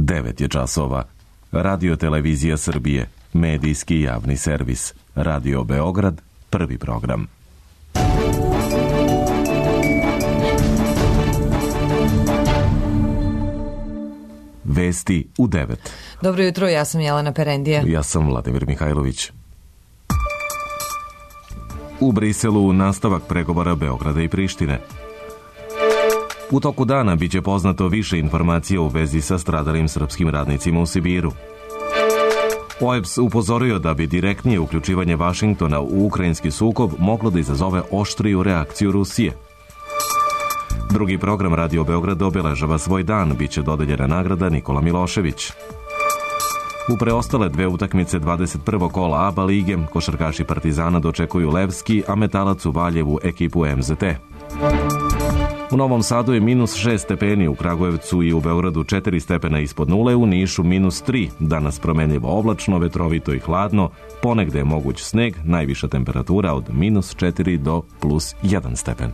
9 je časova. Radio Televizija Srbije, medijski javni servis. Radio Beograd, prvi program. Vesti u 9. Dobro jutro, ja sam Jelena Perendija. Ja sam Vladimir Mihajlović. U Briselu nastavak pregovora Beograda i Prištine. U toku dana biće poznato više informacija u vezi sa stradalim srpskim radnicima u Sibiru. OEBS upozorio da bi direktnije uključivanje Vašingtona u ukrajinski sukob moglo da izazove oštriju reakciju Rusije. Drugi program Radio Beograd obeležava svoj dan, biće dodeljena nagrada Nikola Milošević. U preostale dve utakmice 21. kola ABA lige košarkaši Partizana dočekuju Levski, a Metalac u Valjevu ekipu MZT. U Novom Sadu je -6 stepeni, u Kragujevcu i u Beogradu 4 stepena ispod nule, u Nišu -3. Danas promenljivo oblačno, vetrovito i hladno, ponegde je moguć sneg, najviša temperatura od -4 do +1 stepen.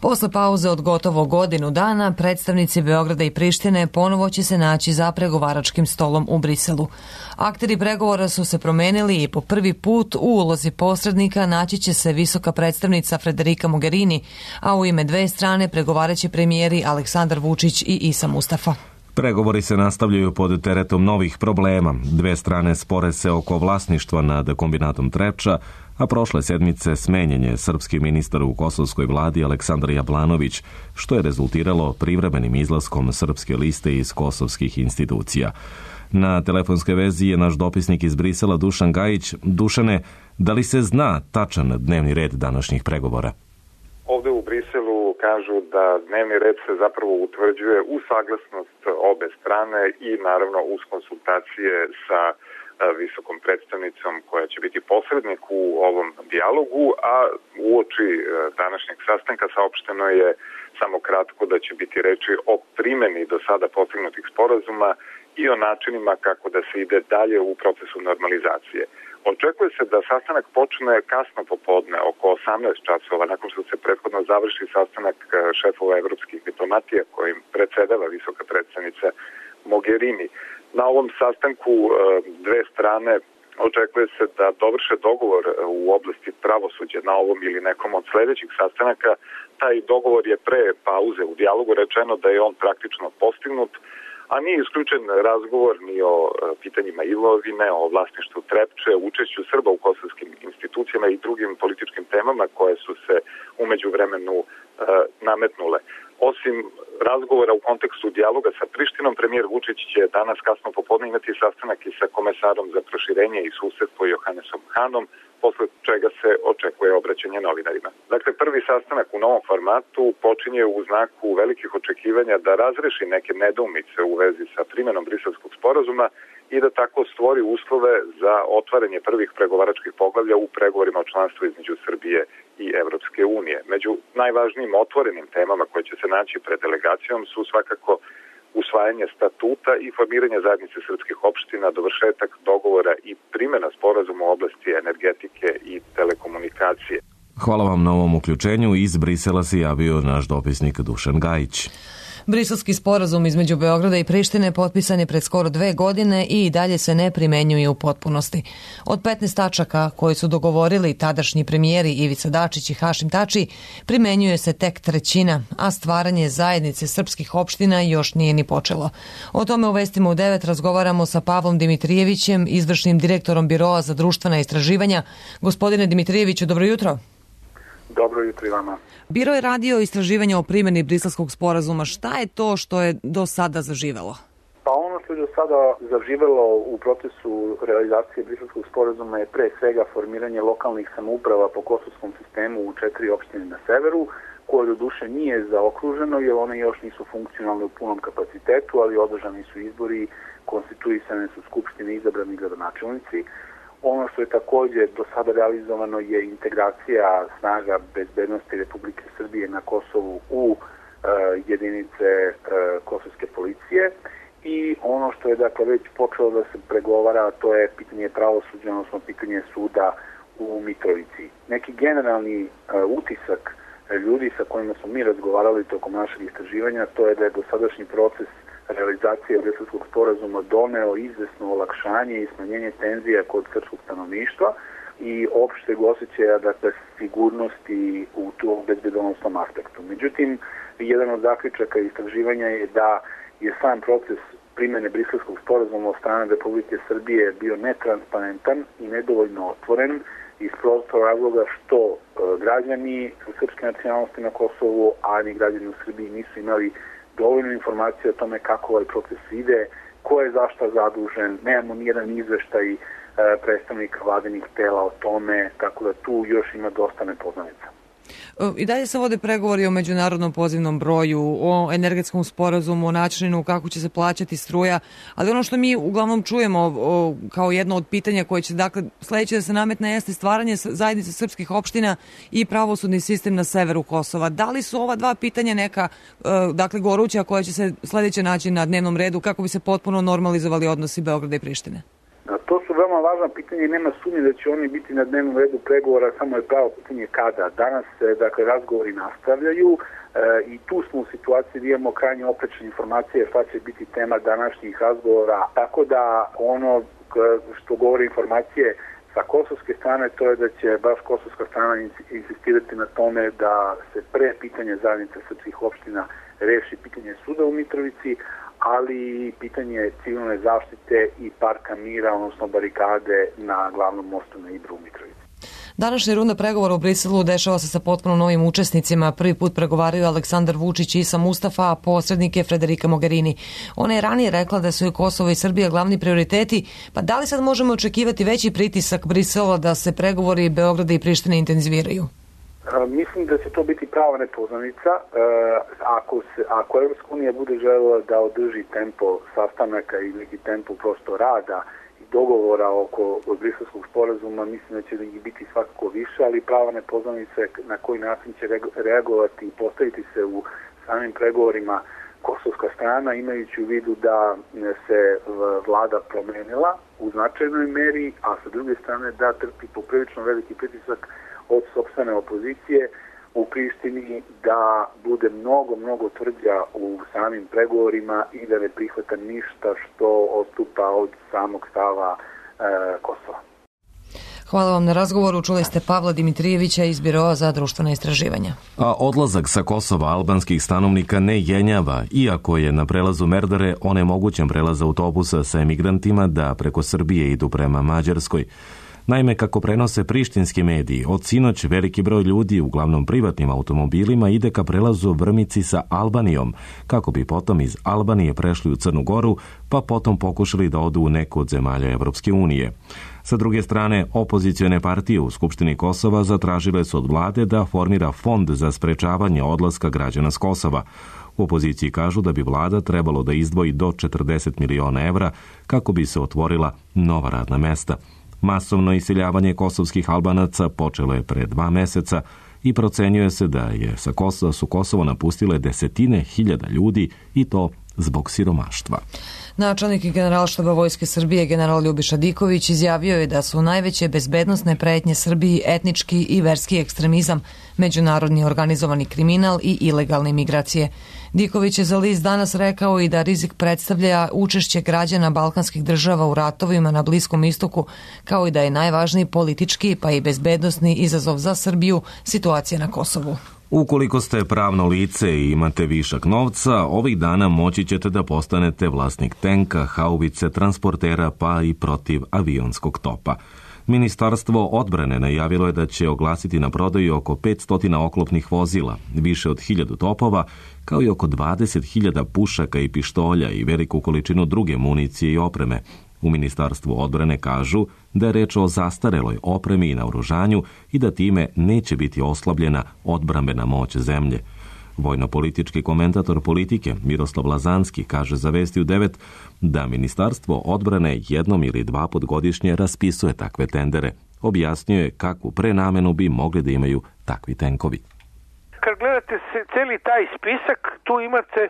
Posle pauze od gotovo godinu dana, predstavnici Beograda i Prištine ponovo će se naći za pregovaračkim stolom u Briselu. Akteri pregovora su se promenili i po prvi put u ulozi posrednika naći će se visoka predstavnica Federica Mogherini, a u ime dve strane pregovaraće premijeri Aleksandar Vučić i Isa Mustafa. Pregovori se nastavljaju pod teretom novih problema. Dve strane spore se oko vlasništva nad kombinatom Trepča, a prošle sedmice smenjen je srpski ministar u kosovskoj vladi Aleksandar Jablanović, što je rezultiralo privremenim izlaskom srpske liste iz kosovskih institucija. Na telefonskoj vezi je naš dopisnik iz Brisela Dušan Gajić. Dušane, da li se zna tačan dnevni red današnjih pregovora? Ovde u Briselu kažu da dnevni red se zapravo utvrđuje u saglasnost obe strane i naravno uz konsultacije sa visokom predstavnicom koja će biti posrednik u ovom dijalogu, a uoči današnjeg sastanka saopšteno je samo kratko da će biti reči o primeni do sada postignutih sporazuma i o načinima kako da se ide dalje u procesu normalizacije. Očekuje se da sastanak počne kasno popodne, oko 18 časova, nakon što se prethodno završi sastanak šefova evropskih diplomatija kojim predsedava visoka predstavnica Mogherini. Na ovom sastanku dve strane očekuje se da dovrše dogovor u oblasti pravosuđa na ovom ili nekom od sledećih sastanaka. Taj dogovor je pre pauze u dijalogu rečeno da je on praktično postignut, a nije isključen razgovor ni o pitanjima imovine, o vlasništvu Trepče, učešću Srba u kosovskim institucijama i drugim političkim temama koje su se umeđu vremenu nametnule. Osim razgovora u kontekstu dijaloga sa Prištinom, premijer Vučić će danas kasno popodne imati sastanak i sa komesarom za proširenje i susedstvo Johannesom Hanom, posle čega se očekuje obraćanje novinarima. Dakle, prvi sastanak u novom formatu počinje u znaku velikih očekivanja da razreši neke nedoumice u vezi sa primenom Briselskog sporazuma i da tako stvori uslove za otvaranje prvih pregovaračkih poglavlja u pregovorima o članstvu između Srbije i Evropske unije. Među najvažnijim otvorenim temama koje će se naći pred delegacijom su svakako usvajanje statuta i formiranje zajednice srpskih opština, dovršetak dogovora i primjena sporazuma u oblasti energetike i telekomunikacije. Hvala vam na ovom uključenju. Iz Brisela se javio naš dopisnik Dušan Gajić. Briselski sporazum između Beograda i Prištine potpisan je pred skoro 2 godine i dalje se ne primenjuje u potpunosti. Od 15 tačaka koje su dogovorili tadašnji premijeri Ivica Dačić i Hašim Tači, primenjuje se tek 1/3, a stvaranje zajednice srpskih opština još nije ni počelo. O tome u Vestima u 9 razgovaramo sa Pavlom Dimitrijevićem, izvršnim direktorom Biroa za društvena istraživanja. Gospodine Dimitrijeviću, dobro jutro. Dobro jutro i vama. Biro je radio istraživanje o primjeni Briselskog sporazuma. Šta je to što je do sada zaživelo? Pa ono što je do sada zaživelo u procesu realizacije Briselskog sporazuma je pre svega formiranje lokalnih samouprava po kosovskom sistemu u 4 opštine na severu, koje do duše nije zaokruženo jer one još nisu funkcionalne u punom kapacitetu, ali održani su izbori, konstituisane su skupštine, izabrani gradonačelnici. Ono što je također do sada realizovano je integracija snaga bezbednosti Republike Srbije na Kosovu u jedinice kosovske policije i ono što je dakle već počelo da se pregovara, to je pitanje pravosuđa, odnosno pitanje suda u Mitrovici. Neki generalni utisak ljudi sa kojima smo mi razgovarali tokom našeg istraživanja, to je da je dosadašnji proces realizacije Briselskog sporazuma doneo izvesno olakšanje i smanjenje tenzija kod srpskog stanovništva i opšteg osjećaja, dakle, sigurnosti u tom bezbednosnom aspektu. Međutim, jedan od zaključaka istraživanja je da je sam proces primjene Briselskog sporazuma od strane Republike Srbije bio netransparentan i nedovoljno otvoren iz prostog razloga što građani srpske nacionalnosti na Kosovu, a ni građani u Srbiji nisu imali dovoljno informacije o tome kako ovaj proces ide, ko je zašta zadužen, nemamo nijedan izveštaj predstavnika vladinih tela o tome, tako da tu još ima dosta nepoznanica. I dalje se vode pregovori o međunarodnom pozivnom broju, o energetskom sporazumu, o načinu kako će se plaćati struja, ali ono što mi uglavnom čujemo kao jedno od pitanja koje će, dakle, sledeće da se nametne jeste stvaranje zajednice srpskih opština i pravosudni sistem na severu Kosova. Da li su ova dva pitanja neka, dakle, goruća koja će se sledeće naći na dnevnom redu kako bi se potpuno normalizovali odnosi Beograda i Prištine? To su veoma važna pitanja i nema sumnje da će oni biti na dnevnom redu pregovora, samo je pravo pitanje kada. Danas se, dakle, razgovori nastavljaju i tu smo u situaciji da imamo krajnje oprečne informacije šta će biti tema današnjih razgovora. Tako da ono što govori informacije sa kosovske strane, to je da će baš kosovska strana insistirati na tome da se pre pitanje zajednice srpskih opština reši pitanje suda u Mitrovici, ali pitanje civilne zaštite i parka mira, odnosno barikade na glavnom mostu na Ibru u Mitrovici. Današnja runda pregovora u Briselu dešava se sa potpuno novim učesnicima. Prvi put pregovaraju Aleksandar Vučić i Isa Mustafa, a posrednik je Federica Mogherini. Ona je ranije rekla da su i Kosovo i Srbija glavni prioriteti, pa da li sad možemo očekivati veći pritisak Brisela da se pregovori Beograda i Prištine intenziviraju? Mislim da će to biti prava nepoznanica. Ako Evropska unija bude želela da održi tempo sastanaka i neki tempo prosto rada i dogovora oko Briselskog sporazuma, mislim da će ih biti svakako više, ali prava nepoznanica na koji način će reagovati i postaviti se u samim pregovorima kosovska strana, imajući u vidu da se vlada promenila u značajnoj meri, a sa druge strane da trpi poprilično veliki pritisak od sopstvene opozicije u Prištini, da bude mnogo tvrđa u samim pregovorima i da ne prihvata ništa što odstupa od samog stava Kosova. Hvala vam na razgovoru. Čuli ste Pavla Dimitrijevića iz Biroa za društvena istraživanja. A odlazak sa Kosova albanskih stanovnika ne jenjava, iako je na prelazu Merdare onemogućen prelaz autobusa sa emigrantima da preko Srbije idu prema Mađarskoj. Naime, kako prenose prištinski mediji, od sinoć veliki broj ljudi, uglavnom privatnim automobilima, ide ka prelazu Vrmici sa Albanijom, kako bi potom iz Albanije prešli u Crnu Goru, pa potom pokušali da odu u neku od zemalja Evropske unije. Sa druge strane, opozicione partije u Skupštini Kosova zatražile su od vlade da formira fond za sprečavanje odlaska građana s Kosova. U opoziciji kažu da bi vlada trebalo da izdvoji do 40 miliona evra kako bi se otvorila nova radna mesta. Masovno iseljavanje kosovskih Albanaca počelo je pre 2 meseca i procenjuje se da su Kosovo napustile desetine hiljada ljudi i to zbog siromaštva. Načelnik Generalštaba Vojske Srbije general Ljubiša Diković izjavio je da su najveće bezbednosne pretnje Srbiji etnički i verski ekstremizam, međunarodni organizovani kriminal i ilegalne migracije. Diković je za list Danas rekao i da rizik predstavlja učešće građana balkanskih država u ratovima na Bliskom istoku, kao i da je najvažniji politički pa i bezbednosni izazov za Srbiju situacija na Kosovu. Ukoliko ste pravno lice i imate višak novca, ovih dana moći ćete da postanete vlasnik tenka, haubice, transportera pa i protiv avionskog topa. Ministarstvo odbrane najavilo je da će oglasiti na prodaju oko 500 oklopnih vozila, više od 1000 topova, kao i oko 20.000 pušaka i pištolja i veliku količinu druge municije i opreme. U Ministarstvu odbrane kažu da je reč o zastareloj opremi i naoružanju i da time neće biti oslabljena odbrambena moć zemlje. Vojno-politički komentator Politike Miroslav Lazanski kaže za Vesti u 9 da Ministarstvo odbrane jednom ili 2 put godišnje raspisuje takve tendere. Objasnio je kakvu prenamenu bi mogli da imaju takvi tenkovi. Kad gledate celi taj spisak, tu imate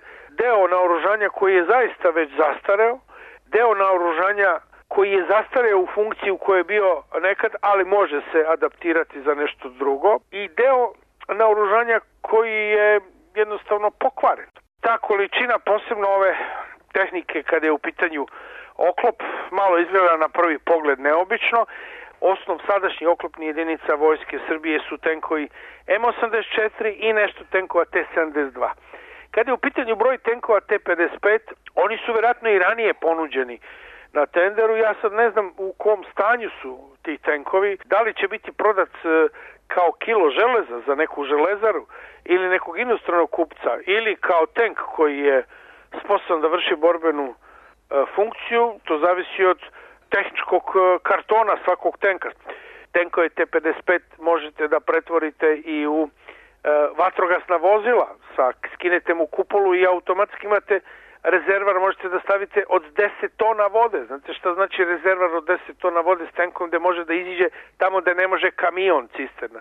deo naoružanja koji je zaista već zastareo, deo naoružanja koji je zastareo u funkciji u kojoj je bio nekad, ali može se adaptirati za nešto drugo, i deo naoružanja koji je jednostavno pokvaren. Ta količina, posebno ove tehnike kada je u pitanju oklop, malo izgleda na prvi pogled neobično. Osnov sadašnjih oklopnih jedinica Vojske Srbije su tenkovi M84 i nešto tenkova T-72. Kada je u pitanju broj tenkova T-55, oni su vjerojatno i ranije ponuđeni na tenderu. Ja sad ne znam u kom stanju su ti tenkovi, da li će biti prodat kao kilo železa za neku železaru ili nekog inostranog kupca, ili kao tank koji je sposoban da vrši borbenu funkciju. To zavisi od tehničkog kartona svakog tenka. Tenkove T-55 možete da pretvorite i u vatrogasna vozila, skinete mu kupolu i automatski imate rezervar, možete da stavite od 10 tona vode. Znate šta znači rezervar od 10 tona vode s tenkom gde može da iziđe tamo gde ne može kamion cisterna.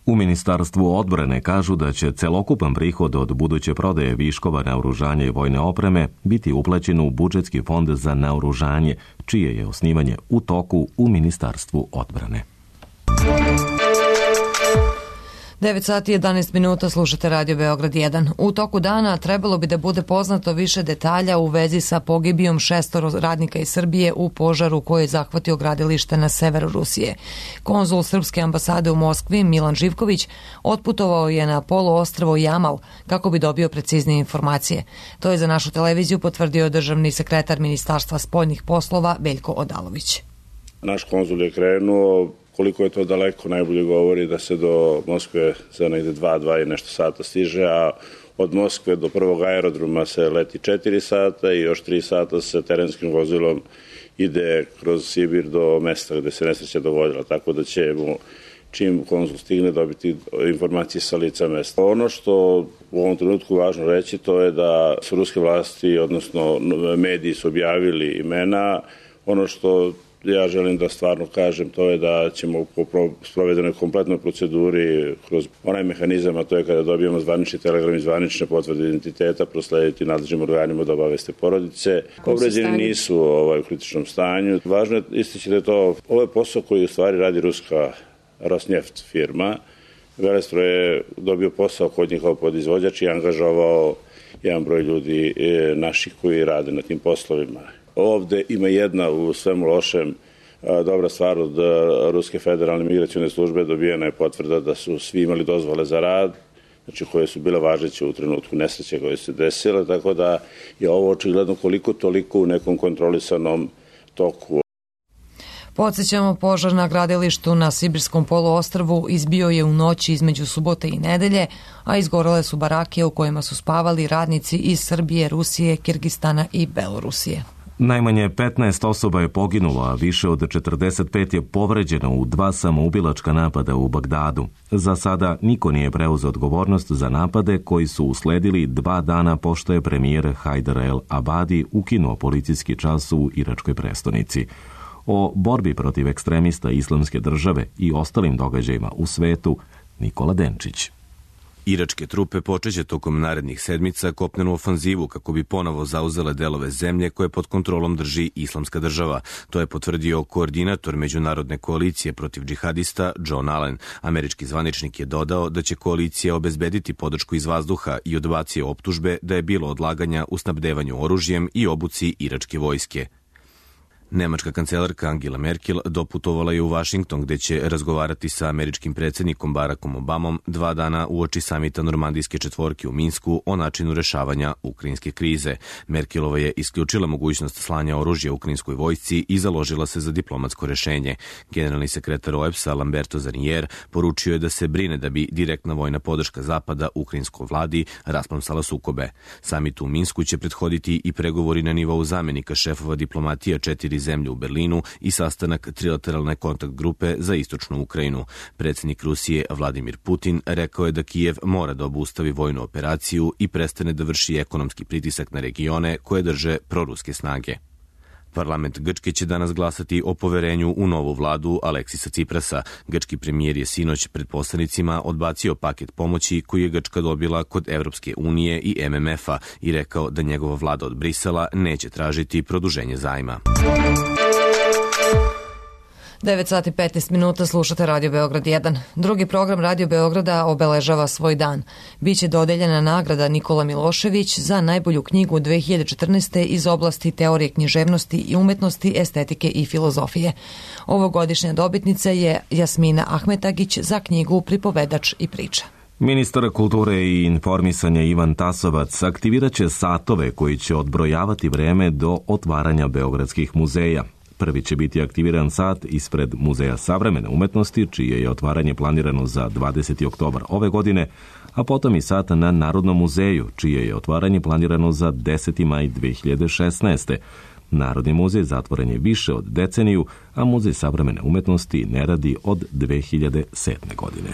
U Ministarstvu odbrane kažu da će celokupan prihod od buduće prodaje viškova naoružanja i vojne opreme biti uplaćen u budžetski fond za naoružanje, čije je osnivanje u toku u Ministarstvu odbrane. 9 sati i 11 minuta, slušate Radio Beograd 1. U toku dana trebalo bi da bude poznato više detalja u vezi sa pogibijom 6 radnika iz Srbije u požaru koji je zahvatio gradilište na severu Rusije. Konzul Srpske ambasade u Moskvi, Milan Živković, otputovao je na poluostrvo Jamal kako bi dobio preciznije informacije. To je za našu televiziju potvrdio državni sekretar Ministarstva spoljnih poslova Veljko Odalović. Naš konzul je krenuo. Koliko je to daleko, najbolje govori da se do Moskve za negde 2 i nešto sata stiže, a od Moskve do prvog aerodroma se leti 4 sata i još 3 sata se terenskim vozilom ide kroz Sibir do mesta gde se nesreća dogodila, tako da ćemo čim konzul stigne dobiti informacije sa lica mesta. Ono što u ovom trenutku važno reći, to je da su ruske vlasti, odnosno mediji su objavili imena. Ono što ja želim da stvarno kažem, to je da ćemo po sprovedenoj kompletnoj proceduri kroz onaj mehanizam, a to je kada dobijemo zvanični telegram i zvanične potvrde identiteta, proslediti nadležnim organima da obaveste porodice. Povređeni nisu u kritičnom stanju. Važno je istići da je ovo je posao koji u stvari radi ruska Rosneft firma. Velestro je dobio posao kod njih kao podizvođač i angažovao jedan broj ljudi naših koji rade na tim poslovima. Ovde ima jedna u svemu lošem dobra stvar od Ruske federalne migracione službe, dobijena je potvrda da su svi imali dozvole za rad, znači koje su bile važeće u trenutku nesreće koje se desile, tako da je ovo očigledno koliko toliko u nekom kontrolisanom toku. Podsjećamo, požar na gradilištu na Sibirskom poluostrvu izbio je u noći između subote i nedelje, a izgorele su barake u kojima su spavali radnici iz Srbije, Rusije, Kirgistana i Belorusije. Najmanje 15 osoba je poginulo, a više od 45 je povređeno u 2 samoubilačka napada u Bagdadu. Za sada niko nije preuzeo odgovornost za napade koji su usledili 2 dana pošto je premijer Hajdar El Abadi ukinuo policijski čas u iračkoj prestonici. O borbi protiv ekstremista Islamske države i ostalim događajima u svetu, Nikola Denčić. Iračke trupe počeće tokom narednih sedmica kopnenu ofanzivu kako bi ponovo zauzele delove zemlje koje pod kontrolom drži Islamska država. To je potvrdio koordinator međunarodne koalicije protiv džihadista John Allen. Američki zvaničnik je dodao da će koalicija obezbediti podršku iz vazduha i odbacio optužbe da je bilo odlaganja u snabdevanju oružjem i obuci iračke vojske. Nemačka kancelarka Angela Merkel doputovala je u Vašington gde će razgovarati sa američkim predsjednikom Barackom Obamom 2 dana uoči samita Normandijske četvorke u Minsku o načinu rešavanja ukrajinske krize. Merkelova je isključila mogućnost slanja oružja ukrajinskoj vojsci i založila se za diplomatsko rešenje. Generalni sekretar OEBS-a Lamberto Zarnier poručio je da se brine da bi direktna vojna podrška Zapada ukrajinskoj vladi rasplamsala sukobe. Samit u Minsku će prethoditi i pregovori na nivou zamenika šefova diplomatija 4 zemlje u Berlinu i sastanak trilateralne kontakt grupe za istočnu Ukrajinu. Predsjednik Rusije Vladimir Putin rekao je da Kijev mora da obustavi vojnu operaciju i prestane da vrši ekonomski pritisak na regione koje drže proruske snage. Parlament Grčke će danas glasati o poverenju u novu vladu Aleksisa Ciprasa. Grčki premijer je sinoć pred poslanicima odbacio paket pomoći koji je Grčka dobila kod Evropske unije i MMF-a i rekao da njegova vlada od Brisela neće tražiti produženje zajma. 9 sati 15 minuta slušate Radio Beograd 1. Drugi program Radio Beograda obeležava svoj dan. Biće dodeljena nagrada Nikola Milošević za najbolju knjigu 2014. iz oblasti teorije književnosti i umetnosti, estetike i filozofije. Ovogodišnja dobitnica je Jasmina Ahmetagić za knjigu Pripovedač i priča. Ministar kulture i informisanja Ivan Tasovac aktivirat će satove koji će odbrojavati vreme do otvaranja beogradskih muzeja. Prvi će biti aktiviran sat ispred Muzeja savremene umetnosti, čije je otvaranje planirano za 20. oktobar ove godine, a potom i sat na Narodnom muzeju, čije je otvaranje planirano za 10. maj 2016. Narodni muzej zatvoren je više od deceniju, a Muzej savremene umetnosti ne radi od 2007. godine.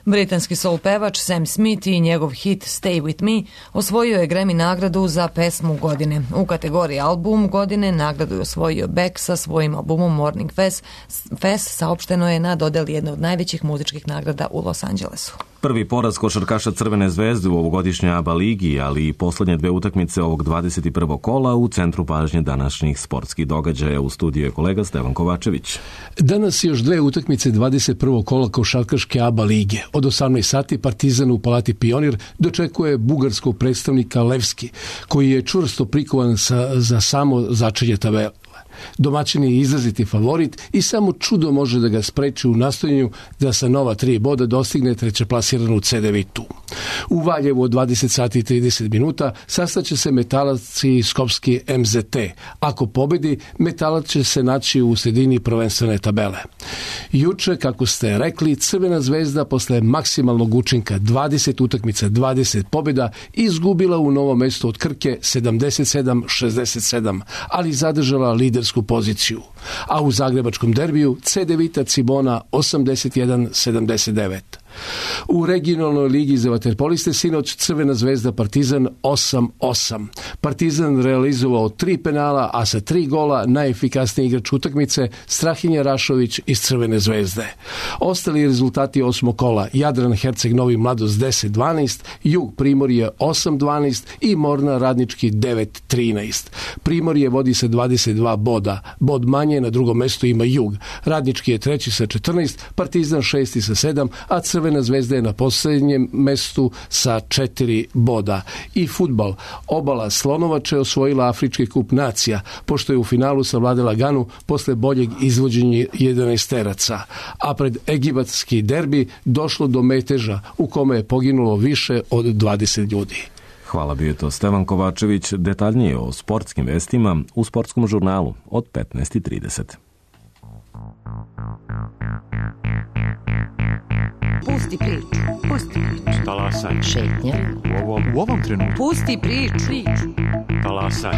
Britanski soul pevač Sam Smith i njegov hit Stay With Me osvojio je Grammy nagradu za pesmu godine. U kategoriji album godine nagradu je osvojio Beck sa svojim albumom Morning Fest, saopšteno je na dodeli jedne od najvećih muzičkih nagrada u Los Angelesu. Prvi poraz košarkaša Crvene zvezde u ovogodišnjoj ABA ligi, ali i poslednje dve utakmice ovog 21. kola u centru pažnje današnjih sportskih događaja. U studiju je kolega Stevan Kovačević. Danas još dve utakmice 21. kola košarkaške ABA lige. Od 18 sati Partizan u Palati Pionir dočekuje bugarskog predstavnika Levski, koji je čvrsto prikovan za samo začelje tabele. Domaćin je izraziti favorit i samo čudo može da ga spreči u nastojanju da sa nova 3 boda dostigne trećeplasiranu CDVitu. U Valjevu od 20 sati i 30 minuta sastaće se Metalac i Skopski MZT. Ako pobedi, Metalac će se naći u sredini prvenstvene tabele. Juče, kako ste rekli, Crvena zvezda posle maksimalnog učinka 20 utakmica, 20 pobjeda izgubila u Novom Mestu od Krke 77-67, ali zadržala lidersku poziciju. A u zagrebačkom derbiju CDVita Cibona 81-79. U regionalnoj ligi za vaterpoliste sinoć Crvena zvezda Partizan 8-8. Partizan realizovao 3 penala, a sa 3 gola najefikasniji igrač utakmice Strahinja Rašović iz Crvene zvezde. Ostali rezultati 8. kola: Jadran Herceg Novi Mladost 10-12, Jug Primorje 8-12 i Mornar Radnički 9-13. Primorje vodi sa 22 boda. Bod manje na drugom mestu ima Jug. Radnički je treći sa 14, Partizan šesti sa 7, a Crvena zvezda je na posljednjem mestu sa 4 boda. I fudbal. Obala Slonovače osvojila Afrički kup nacija, pošto je u finalu savladala Ganu posle boljeg izvođenja 11-teraca. A pred egibatski derbi došlo do meteža u kome je poginulo više od 20 ljudi. Hvala, bio je to Stevan Kovačević. Detaljnije o sportskim vestima u sportskom žurnalu od 15:30. Pusti priču. Talasaj. Šetnja. U ovom trenutku. Pusti priču. Talasaj.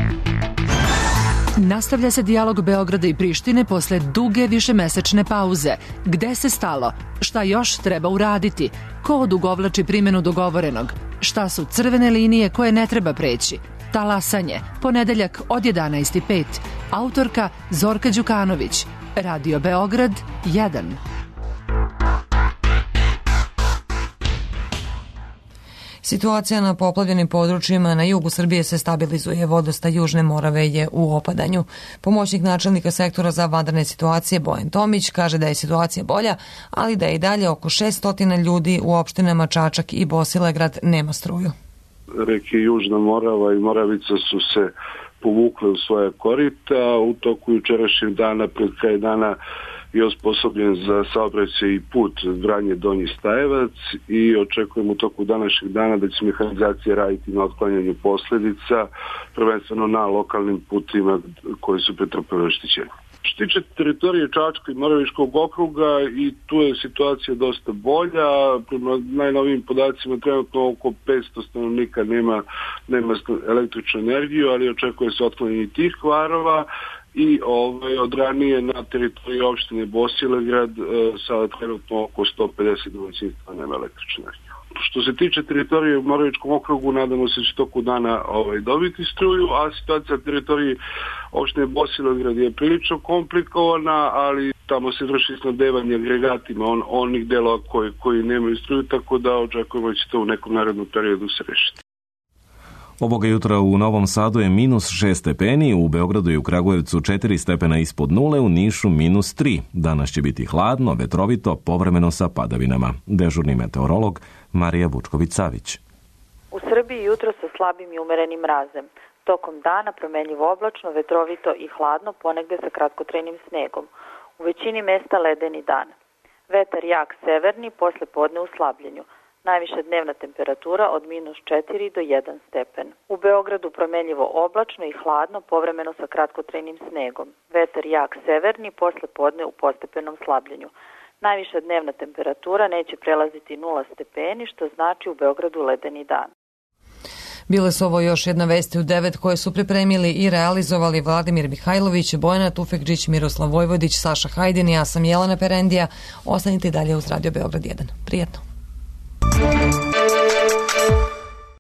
Nastavlja se dijalog Beograda i Prištine posle duge višemesečne pauze. Gde se stalo? Šta još treba uraditi? Ko odugovlači primjenu dogovorenog? Šta su crvene linije koje ne treba preći? Talasanje. Ponedeljak od 11:05. Autorka Zorka Đukanović. Radio Beograd 1. Situacija na poplavljenim područjima na jugu Srbije se stabilizuje. Vodostaj Južne Morave je u opadanju. Pomoćnik načelnika sektora za vanredne situacije Bojan Tomić kaže da je situacija bolja, ali da je i dalje oko 600 ljudi u opštinama Čačak i Bosilegrad nema struju. Reke Južna Morava i Moravica su se povukle u svoje korita. U toku jučerašnjeg dana, pred kraj dana, je osposobljen za saobraćaj i put Vranje Donji Stajevac i očekujemo u toku današnjeg dana da će mehanizacija raditi na otklanjanju posljedica, prvenstveno na lokalnim putima koji su pretrpeli oštećenje. Što se tiče teritorije Čačka i Moravičkog okruga, i tu je situacija dosta bolja. Prema najnovijim podacima trenutno oko 500 stanovnika nema električnu energiju, ali očekuje se otklanjanje tih kvarova. I od ranije na teritoriji opštine Bosilegrad sada trenutno oko 150 domaćinstva nema električnu energiju. Što se tiče teritorije u Moravičkom okrugu, nadamo se da će toku dana dobiti struju, a situacija na teritoriji opštine Bosilegrad je prilično komplikovana, ali tamo se vrši snabdevanje agregatima onih delova koji nemaju struju, tako da očekujemo da će to u nekom narednom periodu se rešiti. Ovoga jutra u Novom Sadu je -6 stepeni, u Beogradu i u Kragujevcu 4 stepena ispod nule, u Nišu -3. Danas će biti hladno, vetrovito, povremeno sa padavinama. Dežurni meteorolog Marija Vučković-Savić. U Srbiji jutro sa slabim i umerenim mrazem. Tokom dana promenljivo oblačno, vetrovito i hladno, ponegde sa kratkotrajnim snegom. U većini mesta ledeni dan. Vetar jak severni, posle podne u slabljenju. Najviša dnevna temperatura od -4 do 1 stepen. U Beogradu promenljivo oblačno i hladno, povremeno sa kratkotrajnim snegom. Vetar jak severni, posle podne u postepenom slabljenju. Najviša dnevna temperatura neće prelaziti 0 stepeni, što znači u Beogradu ledeni dan. Bile su ovo još jedna vesti u 9 koje su pripremili i realizovali Vladimir Mihajlović, Bojana Tufekđić, Miroslav Vojvodić, Saša Hajdin i ja sam Jelena Perendija. Ostanite dalje uz Radio Beograd 1. Prijetno.